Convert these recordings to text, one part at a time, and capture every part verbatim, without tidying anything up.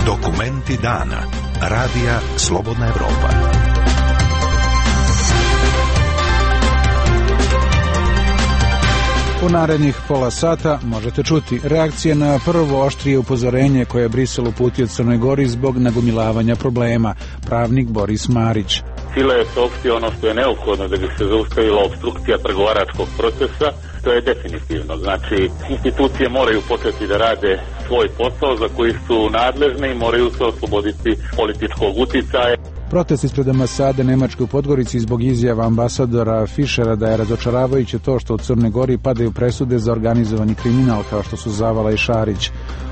Dokumenti dana. Radija Slobodna Evropa. U narednih pola sata možete čuti reakcije na prvo oštrije upozorenje koje je Brisel uputio Crnoj Gori zbog nagomilavanja problema. Pravnik Boris Marić. File je saopštio ono što je neophodno da bi se zaustavila opstrukcija pregovaračkog procesa. To je definitivno. Znači, institucije moraju početi da rade svoj posao za koji su nadležne i moraju se osloboditi političkog uticaja. Protest ispred ambasade Nemačke u Podgorici zbog izjava ambasadora Fischera da je razočaravajuće to što u Crnoj Gori padaju presude za organizovani kriminal kao što su Zavala i Šarić.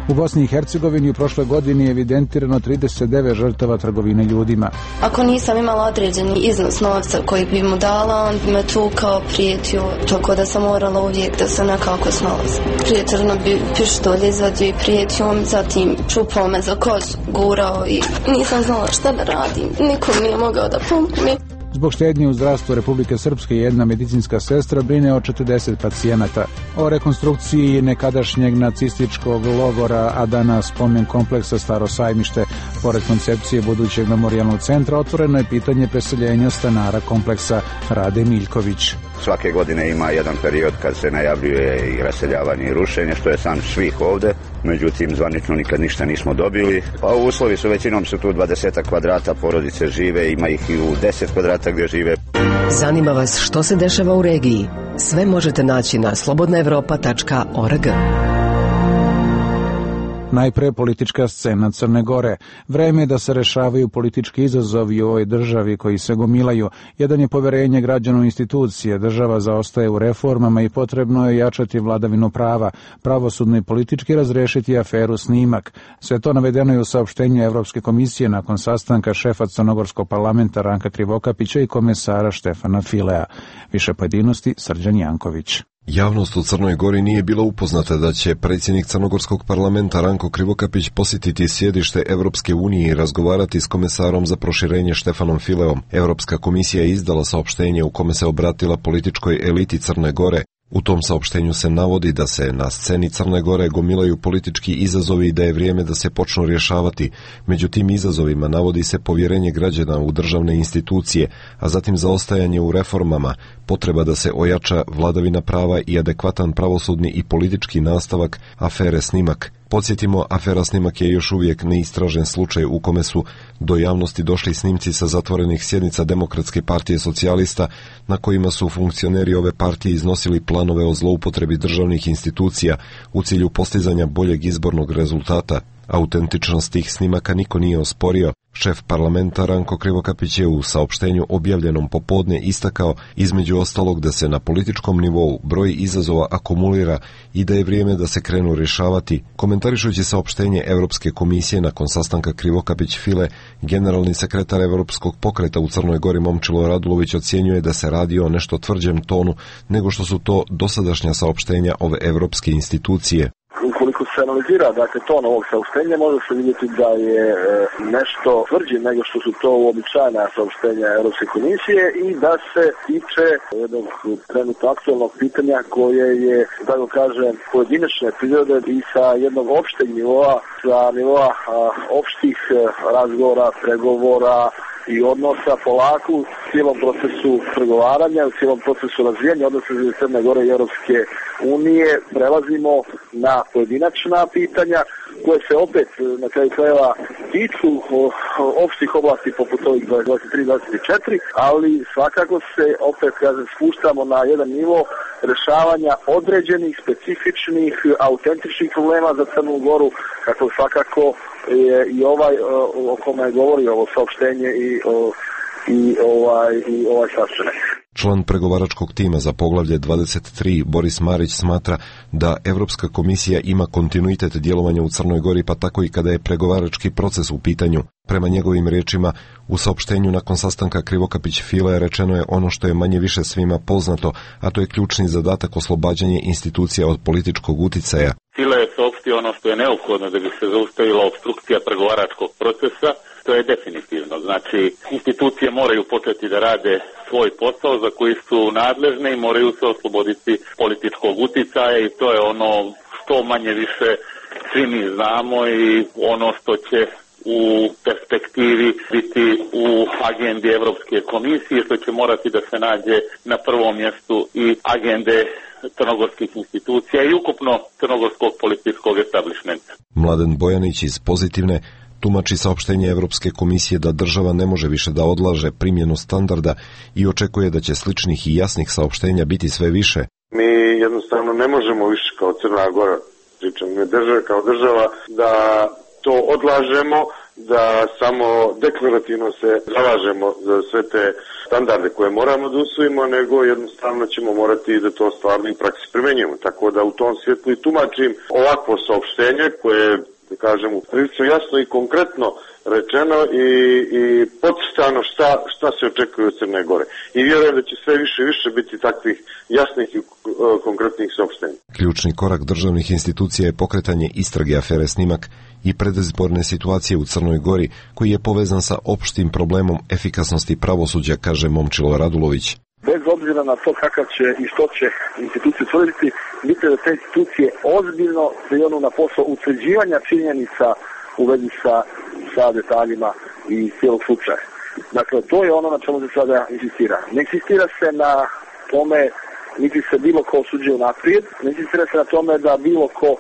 U Bosni i Hercegovini u prošloj godini je evidentirano trideset devet žrtava trgovine ljudima. Ako nisam imala određeni iznos novca koji bi mu dala, on bi me tukao, prijetio, tako da sam morala uvijek da se nekako snalazim. Prijetorno bi pištolj izvadio i prijetio mi, zatim čupao me za kosu, gurao i nisam znala šta da radim. Nikom nije mogao da pomogne. Zbog štednje u zdravstvu Republike Srpske jedna medicinska sestra brine o četrdeset pacijenata. O rekonstrukciji nekadašnjeg nacističkog logora, a danas spomen kompleksa Staro Sajmište. Pored koncepcije budućeg memorijalnog centra otvoreno je pitanje preseljenja stanara kompleksa. Rade Miljković. Svake godine ima jedan period kad se najavljuje i raseljavanje i rušenje, što je san svih ovde. Međutim, zvanično nikad ništa nismo dobili. Pa uslovi su, većinom su tu dvadeset kvadrata, porodice žive, ima ih i u deset kvadrata gdje žive. Zanima vas što se dešava u regiji? Sve možete naći na slobodna evropa tačka org. Najpre politička scena Crne Gore. Vreme je da se rešavaju politički izazovi u ovoj državi koji se gomilaju. Jedan je poverenje građana u institucije. Država zaostaje u reformama i potrebno je jačati vladavinu prava, pravosudno i politički razrešiti aferu Snimak. Sve to navedeno je u saopštenju Evropske komisije nakon sastanka šefa Crnogorskog parlamenta Ranka Krivokapića i komesara Štefana Filea. Više pojedinosti Srđan Janković. Javnost u Crnoj Gori nije bila upoznata da će predsjednik Crnogorskog parlamenta Ranko Krivokapić posjetiti sjedište Evropske unije i razgovarati s komesarom za proširenje Štefanom Fileom. Evropska komisija je izdala saopštenje u kome se obratila političkoj eliti Crne Gore. U tom saopštenju se navodi da se na sceni Crne Gore gomilaju politički izazovi i da je vrijeme da se počnu rješavati. Među tim izazovima navodi se povjerenje građana u državne institucije, a zatim zaostajanje u reformama, potreba da se ojača vladavina prava i adekvatan pravosudni i politički nastavak afere Snimak. Podsjetimo, afera Snimak je još uvijek neistražen slučaj u kome su do javnosti došli snimci sa zatvorenih sjednica Demokratske partije socijalista na kojima su funkcioneri ove partije iznosili planove o zloupotrebi državnih institucija u cilju postizanja boljeg izbornog rezultata. Autentičnost tih snimaka niko nije osporio. Šef parlamenta Ranko Krivokapić je u saopštenju objavljenom popodne istakao između ostalog da se na političkom nivou broj izazova akumulira i da je vrijeme da se krenu rješavati. Komentarišući saopštenje Evropske komisije nakon sastanka Krivokapić-File, generalni sekretar Evropskog pokreta u Crnoj Gori Momčilo Radulović ocjenjuje da se radi o nešto tvrđem tonu nego što su to dosadašnja saopštenja ove evropske institucije. Ukoliko se analizira, dakle, ton ovog saopštenja, može se vidjeti da je e, nešto tvrđe nego što su to uobičajena saopštenja Europske komisije i da se tiče jednog trenutno aktualnog pitanja koje je, tako kažem, pojedinačne prirode i sa jednog opšteg nivoa, sa nivoa a, opštih a, razgovora, pregovora i odnosa polako u cijelom procesu pregovaranja, u cijelom procesu razvijanja odnosa između Crne Gore i Europske unije prelazimo na pojedinačna pitanja koje se opet na kraju krajeva tiču opštih oblasti poput ovih dvadeset tri dvadeset četiri, ali svakako se opet, kažem, spuštamo na jedan nivo rešavanja određenih, specifičnih, autentičnih problema za Crnu Goru, kako svakako je i ovaj o kome govori ovo saopštenje i, i ovaj, i ovaj sastanak. Član pregovaračkog tima za poglavlje dvadeset tri Boris Marić smatra da Evropska komisija ima kontinuitet djelovanja u Crnoj Gori, pa tako i kada je pregovarački proces u pitanju. Prema njegovim riječima, u saopštenju nakon sastanka Krivokapić-File rečeno je ono što je manje više svima poznato, a to je ključni zadatak oslobađanje institucija od političkog uticaja. File je saopštio ono što je neophodno da bi se zaustavila opstrukcija pregovaračkog procesa. To je definitivno. Znači, institucije moraju početi da rade svoj posao za koji su nadležne i moraju se osloboditi političkog uticaja i to je ono to manje više svi mi znamo i ono što će u perspektivi biti u agendi Europske komisije, što će morati da se nađe na prvom mjestu i agende crnogorskih institucija i ukupno crnogorskog političkog establishmenta. Mladen Bojanić iz Pozitivne tumači saopštenje Evropske komisije da država ne može više da odlaže primjenu standarda i očekuje da će sličnih i jasnih saopštenja biti sve više. Mi jednostavno ne možemo više kao Crna Gora, pričam ne država kao država, da to odlažemo, da samo deklarativno se zalažemo za sve te standarde koje moramo da usvojimo, nego jednostavno ćemo morati da to stvarno i praksi primenjujemo. Tako da u tom svjetlu i tumačim ovakvo saopštenje koje, da kažemo, prilično jasno i konkretno rečeno i, i podcrtano šta, šta se očekuje od Crne Gore. I vjerujem da će sve više i više biti takvih jasnih i konkretnih saopštenja. Ključni korak državnih institucija je pokretanje istrage afere Snimak i predizborne situacije u Crnoj Gori, koji je povezan sa opštim problemom efikasnosti pravosuđa, kaže Momčilo Radulović. Bez obzira na to kakav će i što će institucije utvrditi, bitno da te institucije ozbiljno prionu na posao utvrđivanja činjenica u vezi sa, sa detaljima i cijelog slučaja. Dakle, to je ono na čemu se sada insistira. Ne insistira se na tome niti se bilo ko osuđuje naprijed, ne insistira se na tome da bilo ko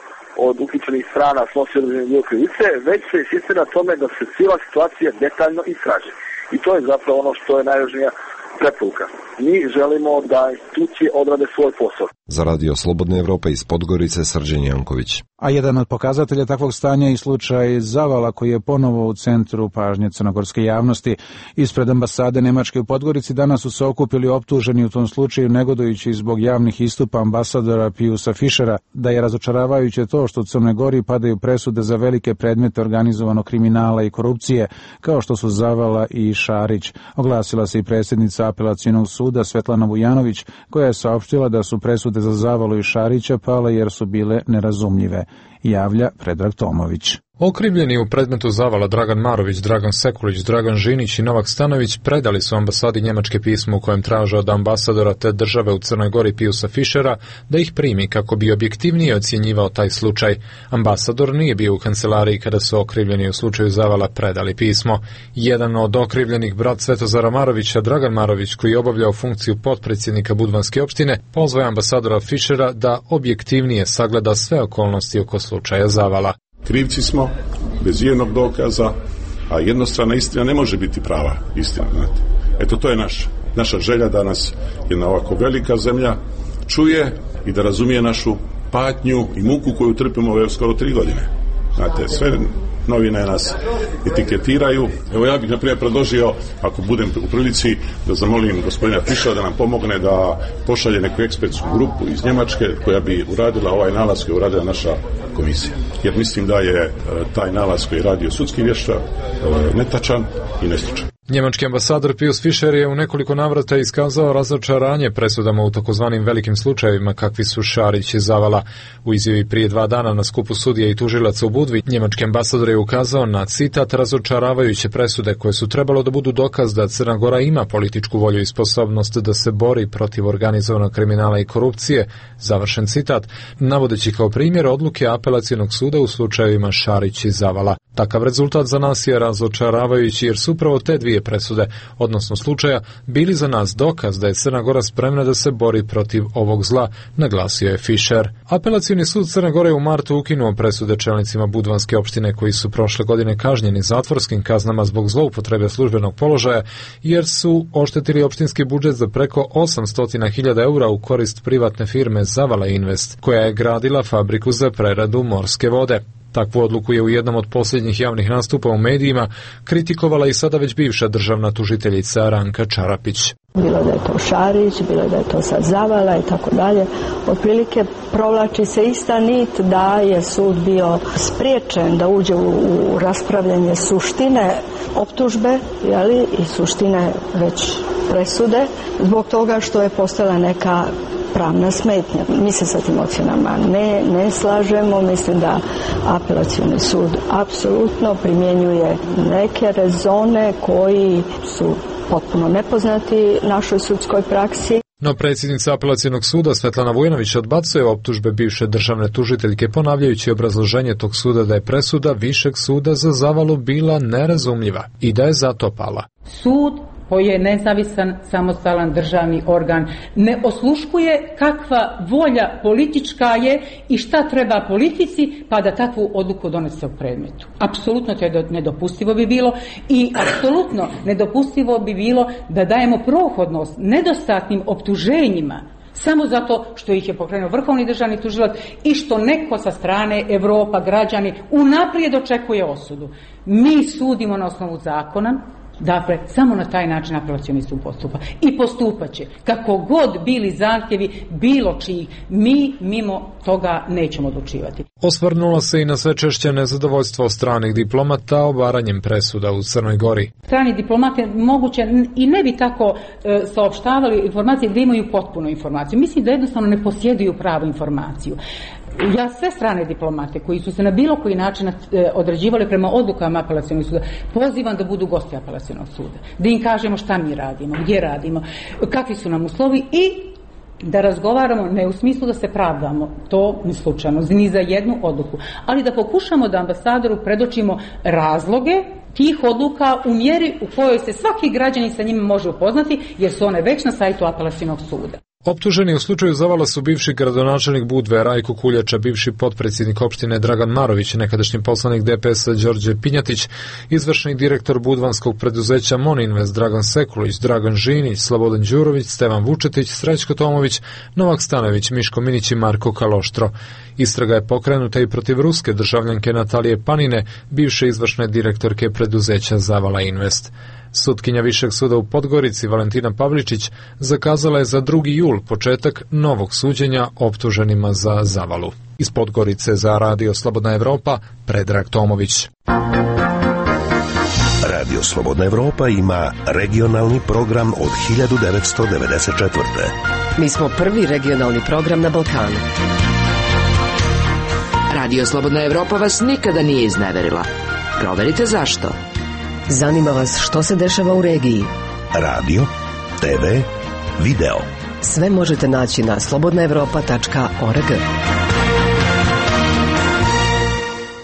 od uključenih strana snosi određene dio krivice, već se insistira na tome da se cijela situacija detaljno istraži. I to je zapravo ono što je najvažnija preporuka. Mi želimo da institucije odrade svoj posao. Za Radio Slobodne Evrope iz Podgorice, Srđan Janković. A jedan od pokazatelja takvog stanja je slučaj Zavala, koji je ponovo u centru pažnje crnogorske javnosti. Ispred ambasade Nemačke u Podgorici danas su se okupili optuženi u tom slučaju, negodujući zbog javnih istupa ambasadora Piusa Fišera da je razočaravajuće to što u Crnoj Gori padaju presude za velike predmete organizovanog kriminala i korupcije, kao što su Zavala i Šarić. Oglasila se i predsjednica Apelacionog suda Svetlana Vujanović, koja je saopštila da su presude za Zavalu i Šarića pale jer su bile nerazumljive, javlja Predrag Tomović. Okrivljeni u predmetu Zavala Dragan Marović, Dragan Sekulić, Dragan Žinić i Novak Stanović predali su ambasadi Njemačke pismo u kojem traže od ambasadora te države u Crnoj Gori Piusa Fišera da ih primi kako bi objektivnije ocjenjivao taj slučaj. Ambasador nije bio u kancelariji kada su okrivljeni u slučaju Zavala predali pismo. Jedan od okrivljenih, brat Svetozara Marovića, Dragan Marović, koji je obavljao funkciju potpredsjednika Budvanske opštine, pozvao je ambasadora Fišera da objektivnije sagleda sve okolnosti oko slučaja Zavala. Krivci smo, bez jednog dokaza, a jednostrana istina ne može biti prava istina. Znate. Eto, to je naša, naša želja da nas jedna ovako velika zemlja čuje i da razumije našu patnju i muku koju trpimo ove skoro tri godine. Znate, sve novine nas etiketiraju. Evo ja bih naprimjer predložio, ako budem u prilici, da zamolim gospodina Fišera da nam pomogne da pošalje neku ekspertsku grupu iz Njemačke koja bi uradila ovaj nalaz koji je uradila naša komisija. Jer mislim da je taj nalaz koji je radio sudski vještak netačan i nestručan. Njemački ambasador Pius Fišer je u nekoliko navrata iskazao razočaranje presudama u takozvanim velikim slučajevima kakvi su Šarić i Zavala. U izjavi prije dva dana na skupu sudija i tužilaca u Budvi, njemački ambasador je ukazao na citat razočaravajuće presude koje su trebalo da budu dokaz da Crna Gora ima političku volju i sposobnost da se bori protiv organizovanog kriminala i korupcije, završen citat, navodeći kao primjer odluke Apelacionog suda u slučajevima Šarić i Zavala. Takav rezultat za nas je razočaravajući jer su upravo te dvije presude, odnosno slučaja, bili za nas dokaz da je Crna Gora spremna da se bori protiv ovog zla, naglasio je Fišer. Apelacioni sud Crne Gore u martu ukinuo presude čelnicima Budvanske opštine koji su prošle godine kažnjeni zatvorskim kaznama zbog zloupotrebe službenog položaja jer su oštetili opštinski budžet za preko osamsto hiljada eura u korist privatne firme Zavala Invest, koja je gradila fabriku za preradu morske vode. Takvu odluku je u jednom od posljednjih javnih nastupa u medijima kritikovala i sada već bivša državna tužiteljica Ranka Čarapić. Bilo da je to Šarić, bilo da je to sad Zavala i tako dalje. Otprilike provlači se ista nit da je sud bio spriječen da uđe u, u raspravljanje suštine optužbe, jeli, i suštine već presude, zbog toga što je postala neka pravna smetnja. Mi se sa tim ocjenama ne, ne slažemo. Mislim da apelacioni sud apsolutno primjenjuje neke rezone koji su potpuno nepoznati našoj sudskoj praksi. No predsjednica apelacionog suda Svetlana Vujanović odbacuje optužbe bivše državne tužiteljke, ponavljajući obrazloženje tog suda da je presuda Višeg suda za Zavalu bila nerazumljiva i da je zato pala. Sud koji je nezavisan, samostalan državni organ, ne osluškuje kakva volja politička je i šta treba politici, pa da takvu odluku donese u predmetu. Apsolutno to je nedopustivo bi bilo i apsolutno nedopustivo bi bilo da dajemo prohodnost nedostatnim optuženjima samo zato što ih je pokrenuo vrhovni državni tužilac i što neko sa strane Evropa, građani, unaprijed očekuje osudu. Mi sudimo na osnovu zakona. Dakle, samo na taj način apelacioni sud postupa. I postupat će. Kako god bili zahtjevi, bilo čiji, mi mimo toga nećemo odlučivati. Osvrnula se i na sve češće nezadovoljstvo stranih diplomata obaranjem presuda u Crnoj Gori. Strani diplomate moguće i ne bi tako e, saopštavali informacije da imaju potpunu informaciju. Mislim da jednostavno ne posjeduju pravu informaciju. Ja sve strane diplomate koji su se na bilo koji način određivali prema odlukama apelacionog suda pozivam da budu gosti apelacionog suda, da im kažemo šta mi radimo, gdje radimo, kakvi su nam uslovi i da razgovaramo ne u smislu da se pravdamo, to ni slučajno, ni za jednu odluku, ali da pokušamo da ambasadoru predočimo razloge tih odluka u mjeri u kojoj se svaki građanin sa njima može upoznati, jer su one već na sajtu apelacionog suda. Optuženi u slučaju Zavala su bivši gradonačelnik Budve Rajko Kuljača, bivši potpredsjednik opštine Dragan Marović, nekadašnji poslanik D P S-a Đorđe Pinjatić, izvršni direktor budvanskog preduzeća Moninvest Dragan Sekulić, Dragan Žinić, Slobodan Đurović, Stevan Vučetić, Srećko Tomović, Novak Stanović, Miško Minić i Marko Kaloštro. Istraga je pokrenuta i protiv ruske državljanke Natalije Panine, bivše izvršne direktorke preduzeća Zavala Invest. Sutkinja Višeg suda u Podgorici Valentina Pavličić zakazala je za drugi jul početak novog suđenja optuženima za Zavalu. Iz Podgorice za Radio Slobodna Evropa, Predrag Tomović. Radio Slobodna Evropa ima regionalni program od hiljadu devetsto devedeset četvrte. Mi smo prvi regionalni program na Balkanu. Radio Slobodna Evropa vas nikada nije izneverila. Proverite zašto. Zanima vas što se dešava u regiji. Radio, te ve, video. Sve možete naći na slobodna evropa tačka org.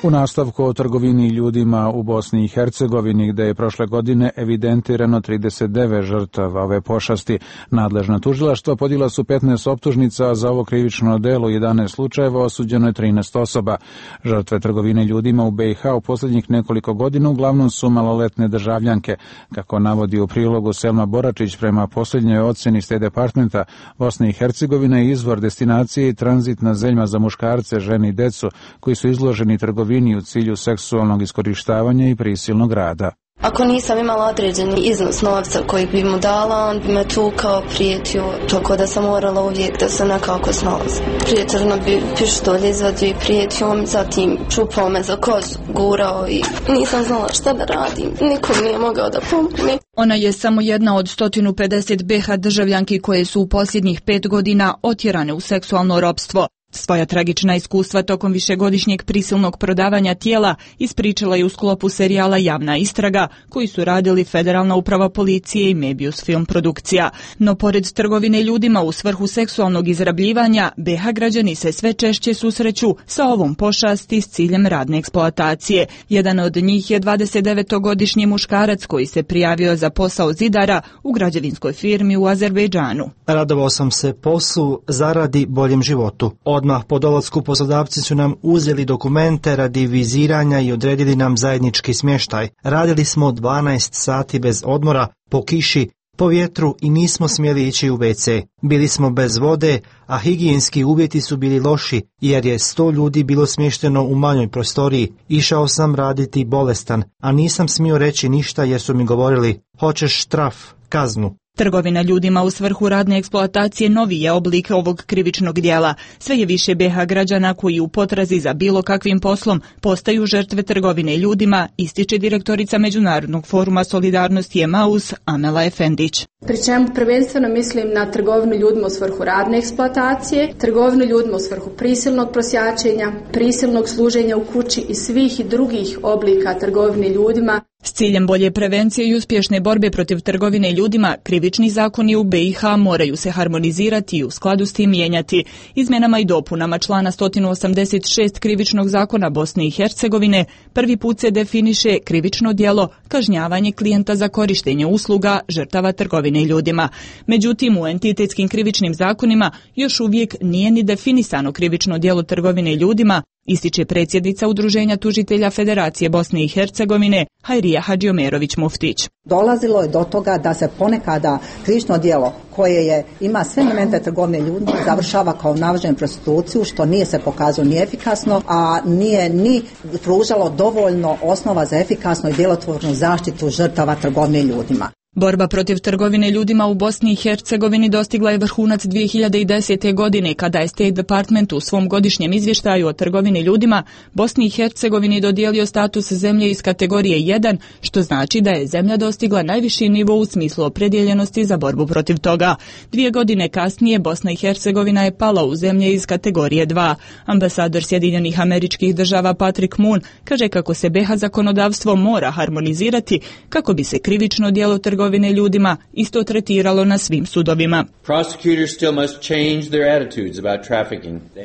U nastavku o trgovini ljudima u Bosni i Hercegovini, gde je prošle godine evidentirano trideset devet žrtava ove pošasti, nadležna tužilaštva podijela su petnaest optužnica, za ovo krivično delo jedanaest slučajeva, osuđeno je trinaest osoba. Žrtve trgovine ljudima u be i ha u posljednjih nekoliko godina uglavnom su maloletne državljanke. Kako navodi u prilogu Selma Boračić, prema posljednjoj ocjeni State Departmenta, Bosna i Hercegovina je izvor destinacije i tranzitna zemlja za muškarce, žene i decu koji su izloženi trgovini u cilju seksualnog iskorištavanja i prisilnog rada. Ako nisam imala određeni iznos novca koji bi mu dala, on bi me tukao, prijetio, tako da sam morala uvijek da se nekako snalazim. Prijetorno bi pištolj izvadio i prijetio mi, zatim čupao me za kožu, gurao i nisam znala šta da radim. Nikom nije mogao da pomogne. Ona je samo jedna od sto pedeset be ha državljanki koje su u posljednjih pet godina otjerane u seksualno ropstvo. Svoja tragična iskustva tokom višegodišnjeg prisilnog prodavanja tijela ispričala je u sklopu serijala Javna istraga, koji su radili Federalna uprava policije i Mebius film produkcija. No pored trgovine ljudima u svrhu seksualnog izrabljivanja, be ha građani se sve češće susreću sa ovom pošasti s ciljem radne eksploatacije. Jedan od njih je dvadesetdevetogodišnji muškarac koji se prijavio za posao zidara u građevinskoj firmi u Azerbejdžanu. Radovao sam se poslu, zaradi, boljem životu. Odmah po dolasku poslodavci su nam uzeli dokumente radi viziranja i odredili nam zajednički smještaj. Radili smo dvanaest sati bez odmora, po kiši, po vjetru i nismo smjeli ići u ve ce. Bili smo bez vode, a higijenski uvjeti su bili loši jer je sto ljudi bilo smješteno u manjoj prostoriji. Išao sam raditi bolestan, a nisam smio reći ništa jer su mi govorili: hoćeš štraf, kaznu. Trgovina ljudima u svrhu radne eksploatacije novi je oblik ovog krivičnog djela. Sve je više be ha građana koji u potrazi za bilo kakvim poslom postaju žrtve trgovine ljudima, ističe direktorica Međunarodnog foruma solidarnosti Emaus Amela Efendić. Pri čemu prvenstveno mislim na trgovinu ljudima u svrhu radne eksploatacije, trgovinu ljudima u svrhu prisilnog prosjačenja, prisilnog služenja u kući i svih drugih oblika trgovine ljudima S ciljem bolje prevencije i uspješne borbe protiv trgovine ljudima, krivični zakoni u be i ha moraju se harmonizirati i u skladu s tim mijenjati. Izmjenama i dopunama člana sto osamdeset šest krivičnog zakona Bosne i Hercegovine prvi put se definiše krivično djelo kažnjavanje klijenta za korištenje usluga žrtava trgovine ljudima. Međutim, u entitetskim krivičnim zakonima još uvijek nije ni definisano krivično djelo trgovine ljudima, ističe predsjednica Udruženja tužitelja Federacije Bosne i Hercegovine Hajrija Hadžiomerović Muftić. Dolazilo je do toga da se ponekada krivično djelo koje je, ima sve elemente trgovine ljudima završava kao navođenje prostituciju, što nije se pokazalo ni efikasno, a nije ni pružalo dovoljno osnova za efikasnu i djelotvornu zaštitu žrtava trgovine ljudima. Borba protiv trgovine ljudima u Bosni i Hercegovini dostigla je vrhunac dvije hiljade desete. godine kada je State Department u svom godišnjem izvještaju o trgovini ljudima Bosni i Hercegovini dodijelio status zemlje iz kategorije jedan, što znači da je zemlja dostigla najviši nivo u smislu opredjeljenosti za borbu protiv toga. Dvije godine kasnije Bosna i Hercegovina je pala u zemlje iz kategorije dva. Ambasador Sjedinjenih Američkih Država Patrick Moon kaže kako se be i ha zakonodavstvo mora harmonizirati kako bi se krivično djelo trgovine trgovine ljudima isto tretiralo na svim sudovima.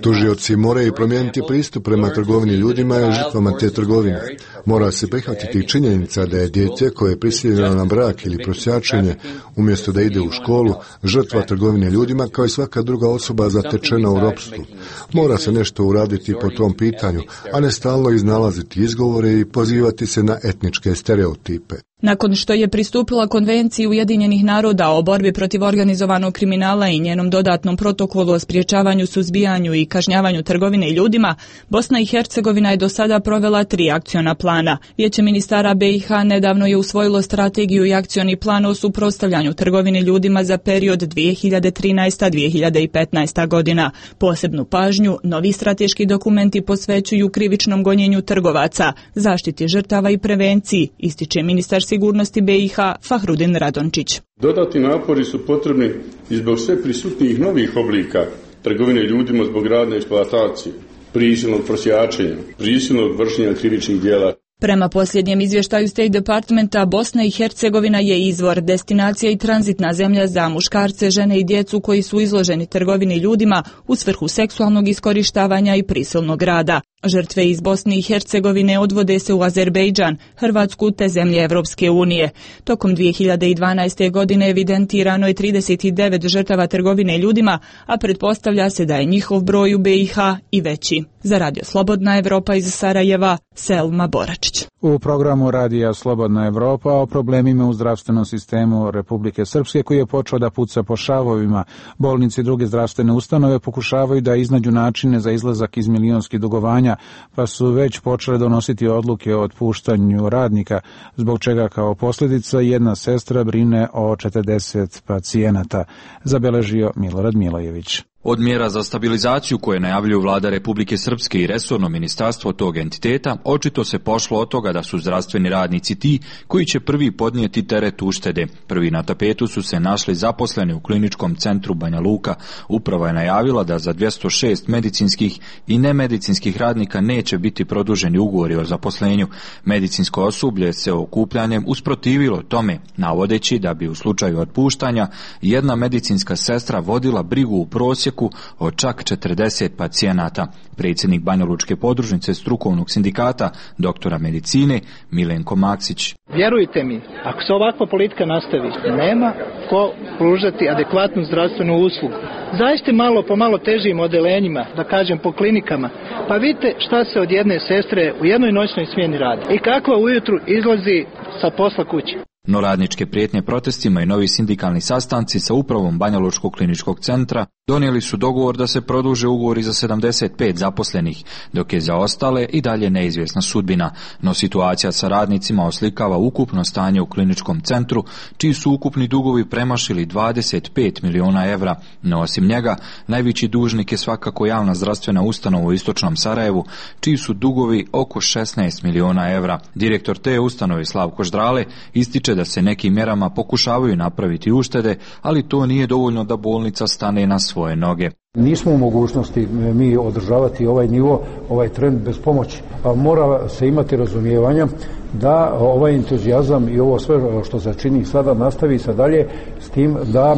Tužioci moraju promijeniti pristup prema trgovini ljudima i žrtvama te trgovine. Mora se prihvatiti činjenica da je dijete koje je prisiljeno na brak ili prosjačenje, umjesto da ide u školu, žrtva trgovine ljudima kao i svaka druga osoba zatečena u ropstvu. Mora se nešto uraditi po tom pitanju, a ne stalno iznalaziti izgovore i pozivati se na etničke stereotipe. Nakon što je pristupila Konvenciji Ujedinjenih naroda o borbi protiv organizovanog kriminala i njenom dodatnom protokolu o sprječavanju, suzbijanju i kažnjavanju trgovine ljudima, Bosna i Hercegovina je do sada provela tri akciona plana. Vijeće ministara be i ha nedavno je usvojilo strategiju i akcioni plan o suprotstavljanju trgovine ljudima za period dvije hiljade trinaesta do dvije hiljade petnaesta. godina. Posebnu pažnju novi strateški dokumenti posvećuju krivičnom gonjenju trgovaca, zaštiti žrtava i prevenciji, ističe ministar sigurnosti be i ha Fahrudin Radončić. Dodatni napori su potrebni i zbog sve prisutnijih novih oblika trgovine ljudima zbog radne eksploatacije, prisilnog prosjačenja, prisilnog vršenja krivičnih djela. Prema posljednjem izvještaju State Departmenta, Bosna i Hercegovina je izvor, destinacija i tranzitna zemlja za muškarce, žene i djecu koji su izloženi trgovini ljudima u svrhu seksualnog iskorištavanja i prisilnog rada. Žrtve iz Bosne i Hercegovine odvode se u Azerbejdžan, Hrvatsku te zemlje Evropske unije. Tokom dvije hiljade dvanaeste. godine evidentirano je trideset devet žrtava trgovine ljudima, a pretpostavlja se da je njihov broj u be i ha i veći. Za Radio Slobodna Evropa iz Sarajeva, Selma Boračić. U programu Radija Slobodna Evropa o problemima u zdravstvenom sistemu Republike Srpske koji je počeo da puca po šavovima. Bolnice i druge zdravstvene ustanove pokušavaju da iznađu načine za izlazak iz milionskih dugovanja, pa su već počele donositi odluke o otpuštanju radnika, zbog čega kao posljedica jedna sestra brine o četrdeset pacijenata, zabeležio Milorad Milojević. Od mjera za stabilizaciju koje najavljuju vlada Republike Srpske i resorno ministarstvo tog entiteta, očito se pošlo od toga da su zdravstveni radnici ti koji će prvi podnijeti teret uštede. Prvi na tapetu su se našli zaposleni u kliničkom centru Banja Luka. Uprava je najavila da za dvjesto šest medicinskih i nemedicinskih radnika neće biti produženi ugovori o zaposlenju. Medicinsko osoblje se okupljanjem usprotivilo tome, navodeći da bi u slučaju otpuštanja jedna medicinska sestra vodila brigu u prosjeku od čak četrdeset pacijenata. Predsjednik Banjalučke podružnice strukovnog sindikata doktora medicine Milenko Maksić. Vjerujte mi, ako se ovakva politika nastavi, nema ko pružati adekvatnu zdravstvenu uslugu. Zaista malo po malo težim odelenjima, da kažem po klinikama, pa vidite šta se od jedne sestre u jednoj noćnoj smjeni radi i kakva ujutru izlazi sa posla kući. No radničke prijetnje protestima i novi sindikalni sastanci sa upravom Banjalučkog kliničkog centra donijeli su dogovor da se produže ugovori za sedamdeset pet zaposlenih, dok je za ostale i dalje neizvjesna sudbina. No situacija sa radnicima oslikava ukupno stanje u kliničkom centru, čiji su ukupni dugovi premašili dvadeset pet miliona evra. No osim njega, najveći dužnik je svakako javna zdravstvena ustanova u istočnom Sarajevu, čiji su dugovi oko šesnaest miliona evra. Direktor te ustanove Slavko Ždrale ističe da se nekim mjerama pokušavaju napraviti uštede, ali to nije dovoljno da bolnica stane na svoje noge. Nismo u mogućnosti mi održavati ovaj nivo, ovaj trend bez pomoći. A mora se imati razumijevanja da ovaj entuzijazam i ovo sve što se čini sada nastavi se dalje s tim da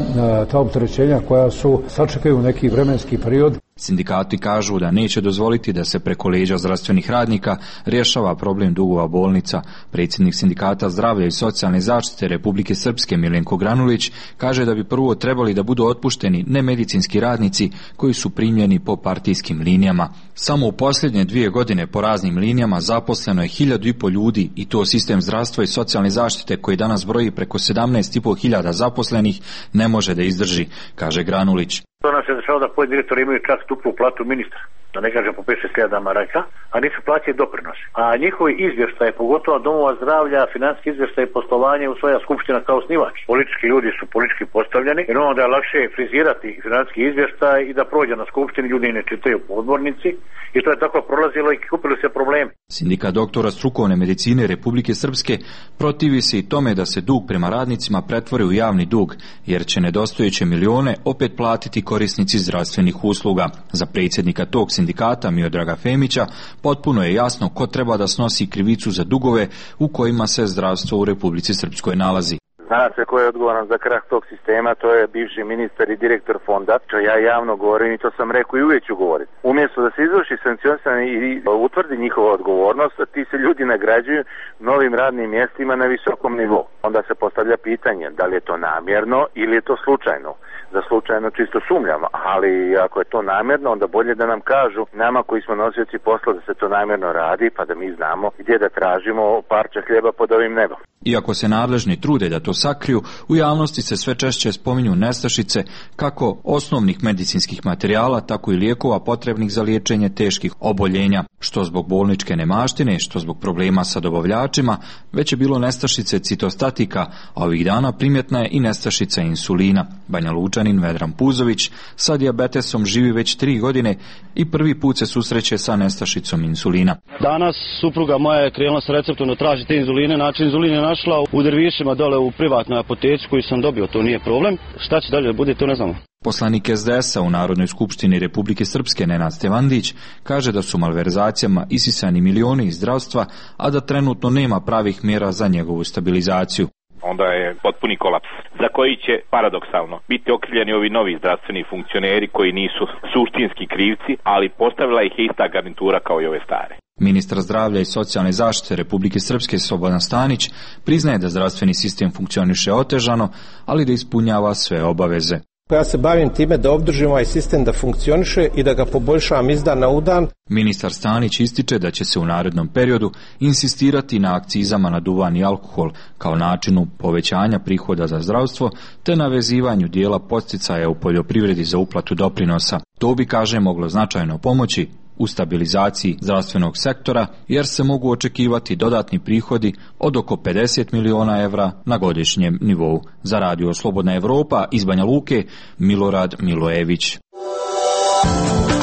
ta opterećenja koja su sačekaju neki vremenski period. Sindikati kažu da neće dozvoliti da se preko leđa zdravstvenih radnika rješava problem dugova bolnica. Predsjednik Sindikata zdravlja i socijalne zaštite Republike Srpske Milenko Granulić kaže da bi prvo trebali da budu otpušteni nemedicinski radnici koji su primljeni po partijskim linijama. Samo u posljednje dvije godine po raznim linijama zaposleno je hiljadu i pol ljudi i to sistem zdravstva i socijalne zaštite koji danas broji preko sedamnaest i pol hiljada zaposlenih ne može da izdrži, kaže Granulić. To nam se dešava da pojedini direktori imaju čak duplu platu ministra, da ne kažem po pet šest hiljada maraka, a nisu plaćeni doprinosi. A njihovi izvještaje, pogotovo domova zdravlja, financijski izvještaje i poslovanje usvaja skupština kao osnivač. Politički ljudi su politički postavljeni, jer onda je lakše frizirati financijski izvještaj i da prođe na skupštini, ljudi ne čitaju po odbornici i to je tako prolazilo i kupili se problemi. Sindikat doktora strukovne medicine Republike Srpske protivi se i tome da se dug prema radnicima pretvori u javni dug, jer će nedostojeće milione opet platiti korisnici zdravstvenih usluga. Za predsjednika tog sindikata Miodraga Femića potpuno je jasno ko treba da snosi krivicu za dugove u kojima se zdravstvo u Republici Srpskoj nalazi. Zna se ko je odgovoran za krah tog sistema, to je bivši ministar i direktor fonda, što ja javno govorim i to sam rekao i uvijek ću govoriti. Umjesto da se izvrši sankcionisanje i utvrdi njihova odgovornost, ti se ljudi nagrađuju novim radnim mjestima na visokom nivou. Onda se postavlja pitanje da li je to namjerno ili je to slučajno. Za slučajno čisto sumnjam, ali ako je to namjerno, onda bolje da nam kažu nama koji smo nosioci posla da se to namjerno radi, pa da mi znamo gdje da tražimo parče hljeba pod ovim nebom. Iako se nadležni trude da to sakriju, u javnosti se sve češće spominju nestašice kako osnovnih medicinskih materijala, tako i lijekova potrebnih za liječenje teških oboljenja, što zbog bolničke nemaštine, što zbog problema sa dobavljačima, već je bilo nestašice citostatika, a ovih dana primjetna je i nestašica insulina. Banja Lučanin Vedran Puzović sa dijabetesom živi već tri godine i prvi put se susreće sa nestašicom insulina. Danas supruga moja je krenula sa receptom da traži te inzuline, znači inzulin je našla u Dervišima dole u privatnoj apoteci koju sam dobio, to nije problem. Šta će dalje da bude, to ne znamo. Poslanik S D S-a u Narodnoj skupštini Republike Srpske Nenad Stevandić kaže da su malverzacijama isisani milioni iz zdravstva, a da trenutno nema pravih mjera za njegovu stabilizaciju. Onda je potpuni kolaps, za koji će paradoksalno biti okrivljeni ovi novi zdravstveni funkcioneri koji nisu suštinski krivci, ali postavila ih je ista garnitura kao i ove stare. Ministar zdravlja i socijalne zaštite Republike Srpske Slobodan Stanić priznaje da zdravstveni sistem funkcioniše otežano, ali da ispunjava sve obaveze. Ja se bavim time da obdržim ovaj sistem da funkcioniše i da ga poboljšavam iz dana u dan. Ministar Stanić ističe da će se u narednom periodu insistirati na akcizama na duvan i alkohol kao načinu povećanja prihoda za zdravstvo te na vezivanju dijela podsticaja u poljoprivredi za uplatu doprinosa. To bi, kaže, moglo značajno pomoći u stabilizaciji zdravstvenog sektora, jer se mogu očekivati dodatni prihodi od oko pedeset miliona evra na godišnjem nivou. Za Radio Slobodna Evropa iz Banja Luke, Milorad Milojević.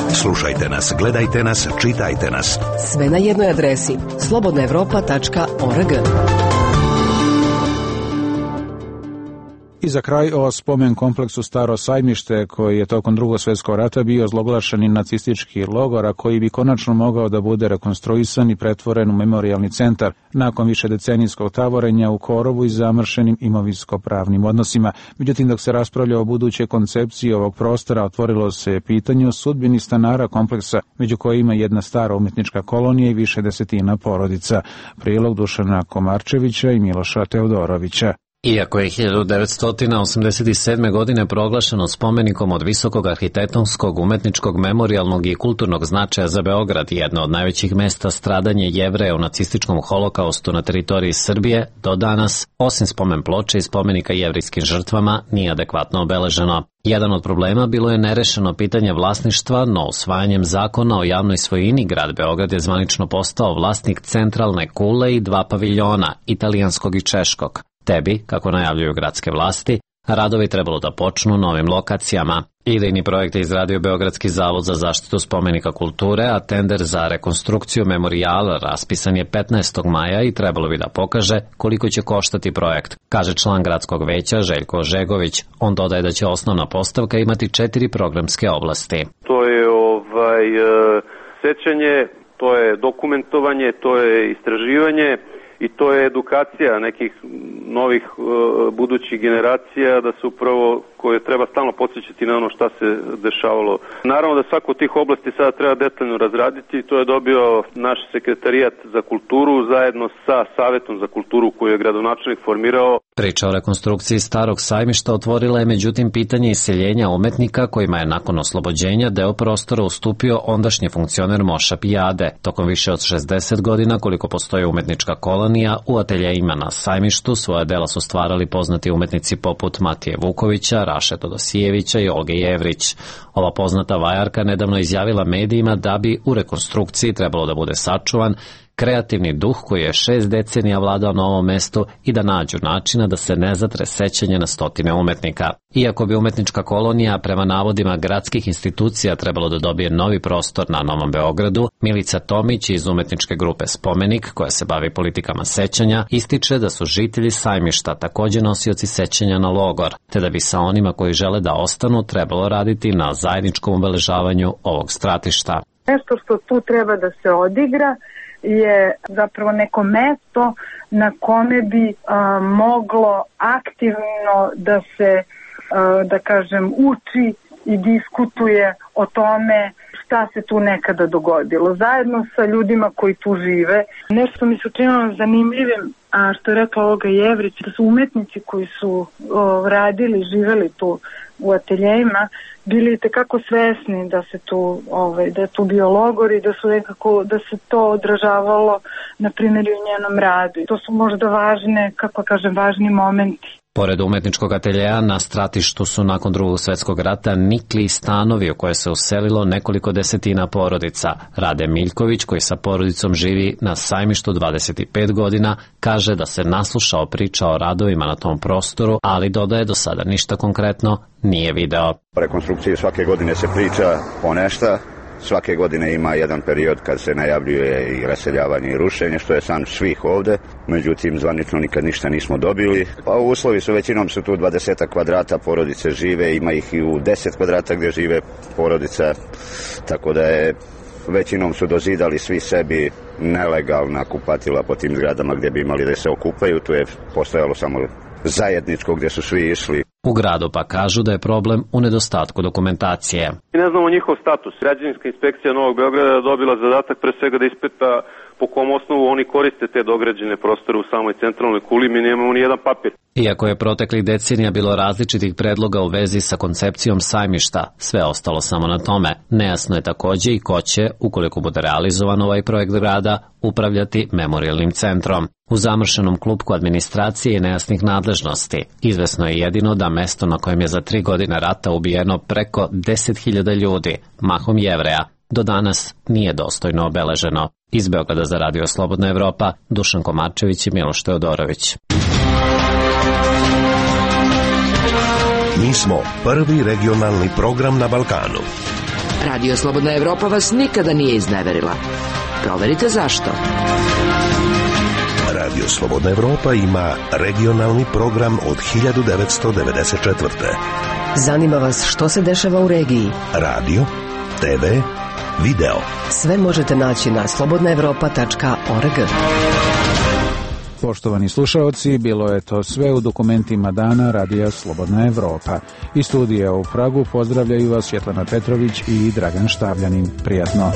Slušajte nas, gledajte nas, čitajte nas. Sve na jednoj adresi slobodna evropa tačka org. I za kraj o spomen kompleksu Staro Sajmište, koji je tokom Drugog svjetskog rata bio zloglašeni nacistički logor, a koji bi konačno mogao da bude rekonstruisan i pretvoren u memorijalni centar nakon višedecenijskog tavorenja u korovu i zamršenim imovinsko-pravnim odnosima. Međutim, dok se raspravlja o budućoj koncepciji ovog prostora, otvorilo se pitanje o sudbini stanara kompleksa, među kojima jedna stara umjetnička kolonija i više desetina porodica. Prilog Dušana Komarčevića i Miloša Teodorovića. Iako je hiljadu devetsto osamdeset sedme. godine proglašeno spomenikom od visokog arhitektonskog, umetničkog, memorijalnog i kulturnog značaja za Beograd, jedno od najvećih mesta stradanja Jevreja u nacističkom holokaustu na teritoriji Srbije, do danas, osim spomen ploče i spomenika jevrijskim žrtvama, nije adekvatno obeleženo. Jedan od problema bilo je nerešeno pitanje vlasništva, no usvajanjem zakona o javnoj svojini grad Beograd je zvanično postao vlasnik centralne kule i dva paviljona, italijanskog i češkog. Tebi, kako najavljuju gradske vlasti, radovi trebalo da počnu novim lokacijama. Idejni projekt je izradio Beogradski zavod za zaštitu spomenika kulture, a tender za rekonstrukciju memorijala raspisan je petnaestog maja i trebalo bi da pokaže koliko će koštati projekt, kaže član gradskog veća Željko Žegović. On dodaje da će osnovna postavka imati četiri programske oblasti. To je ovaj sećanje, to je dokumentovanje, to je istraživanje i to je edukacija nekih novih uh, budućih generacija da se upravo koje treba stalno podsjećati na ono šta se dešavalo. Naravno da svaku od tih oblasti sada treba detaljno razraditi, to je dobio naš sekretarijat za kulturu zajedno sa Savetom za kulturu koju je gradonačelnik formirao. Priča o rekonstrukciji Starog sajmišta otvorila je međutim pitanje iseljenja umetnika kojima je nakon oslobođenja deo prostora ustupio ondašnji funkcioner Moša Pijade. Tokom više od šezdeset godina koliko postoji umetnička kolonija, u ateljejima na sajmištu svoja dela su stvarali poznati umetnici poput Matije Vukovića, Raše Todosijevića i Olge Jevrić. Ova poznata vajarka nedavno izjavila medijima da bi u rekonstrukciji trebalo da bude sačuvan kreativni duh koji je šest decenija vladao na ovom mestu i da nađu načina da se ne zatre sećanje na stotine umetnika. Iako bi umetnička kolonija prema navodima gradskih institucija trebalo da dobije novi prostor na Novom Beogradu, Milica Tomić iz umetničke grupe Spomenik, koja se bavi politikama sećanja, ističe da su žitelji sajmišta takođe nosioci sećanja na logor, te da bi sa onima koji žele da ostanu trebalo raditi na zajedničkom obeležavanju ovog stratišta. Nešto što tu treba da se odigra je zapravo neko mesto na kome bi a, moglo aktivno da se, a, da kažem, uči i diskutuje o tome šta se tu nekada dogodilo, zajedno sa ljudima koji tu žive. Nešto mi se učinilo zanimljivim, a što je rekla Olga Jevrić, da su umetnici koji su o, radili, živeli tu u ateljejima, bili tekako svesni da se tu, ovaj, da je tu bio logor i da su nekako, da se to odražavalo na primjer u njenom radu. I to su možda važne, kako kažem, važni momenti. Pored umetničkog ateljeja na stratištu su nakon Drugog svjetskog rata nikli stanovi u koje se uselilo nekoliko desetina porodica. Rade Miljković, koji sa porodicom živi na sajmištu dvadeset pet godina, kaže da se naslušao priča o radovima na tom prostoru, ali dodaje do sada ništa konkretno nije video. O rekonstrukciji svake godine se priča o nešta. Svake godine ima jedan period kad se najavljuje i raseljavanje i rušenje, što je san svih ovde. Međutim, zvanično nikad ništa nismo dobili. Pa uslovi su, većinom su tu dvadeset kvadrata, porodice žive, ima ih i u deset kvadrata gdje žive porodica, tako da je većinom su dozidali svi sebi nelegalna kupatila po tim zgradama gdje bi imali da se okupaju. Tu je postojalo samo zajedničko gdje su svi išli. U gradu pa kažu da je problem u nedostatku dokumentacije. Ne znamo njihov status. Građevinska inspekcija Novog Beograda je dobila zadatak pre svega da ispita po kom osnovu oni koriste te dograđene prostore u samoj centralnoj kuli. Mi nemamo ni jedan papir. Iako je proteklih decenija bilo različitih predloga u vezi sa koncepcijom sajmišta, sve ostalo samo na tome. Nejasno je takođe i ko će, ukoliko bude realizovan ovaj projekt grada, upravljati memorijalnim centrom. U zamršenom klupku administracije i nejasnih nadležnosti izvesno je jedino da mesto na kojem je za tri godine rata ubijeno preko deset hiljada ljudi, mahom Jevreja, do danas nije dostojno obeleženo. Iz Beograda za Radio Slobodna Evropa, Dušan Komarčević i Miloš Teodorović. Mi smo prvi regionalni program na Balkanu. Radio Slobodna Evropa vas nikada nije izneverila. Proverite zašto. Radio Slobodna Evropa ima regionalni program od hiljadu devetsto devedeset četvrte. Zanima vas što se dešava u regiji? Radio, te ve, video. Sve možete naći na slobodna evropa tačka org. Poštovani slušaoci, bilo je to sve u dokumentima dana Radija Slobodna Evropa. Iz studija u Pragu pozdravljaju vas Svjetlana Petrović i Dragan Štavljanin. Prijatno.